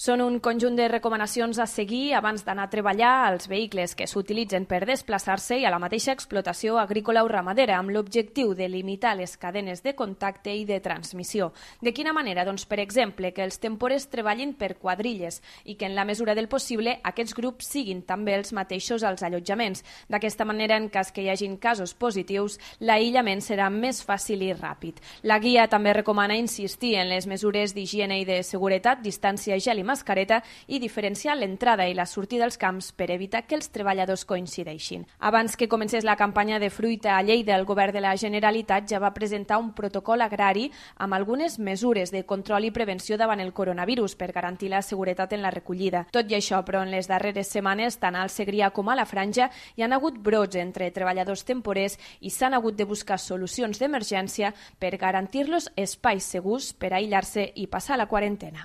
Són un conjunt de recomanacions a seguir abans d'anar a treballar als vehicles que s'utilitzen per desplaçar-se i a la mateixa explotació agrícola o ramadera, amb l'objectiu de limitar les cadenes de contacte i de transmissió. De quina manera? Doncs, per exemple, que els temporers treballin per quadrilles i que en la mesura del possible aquests grups siguin també els mateixos als allotjaments. D'aquesta manera, en cas que hi hagin casos positius, l'aïllament serà més fàcil i ràpid. La guia també recomana insistir en les mesures d'higiene i de seguretat, distància, gel i mascareta i diferenciar l'entrada i la sortida dels camps per evitar que els treballadors coincideixin. Abans que comencés la campanya de fruita a Lleida, el govern de la Generalitat ja va presentar un protocol agrari amb algunes mesures de control i prevenció davant el coronavirus per garantir la seguretat en la recollida. Tot i això, però, en les darreres setmanes, tant al Segrià com a la Franja, hi han hagut brots entre treballadors temporers i s'han hagut de buscar solucions d'emergència per garantir-los espais segurs per aïllar-se i passar la quarantena.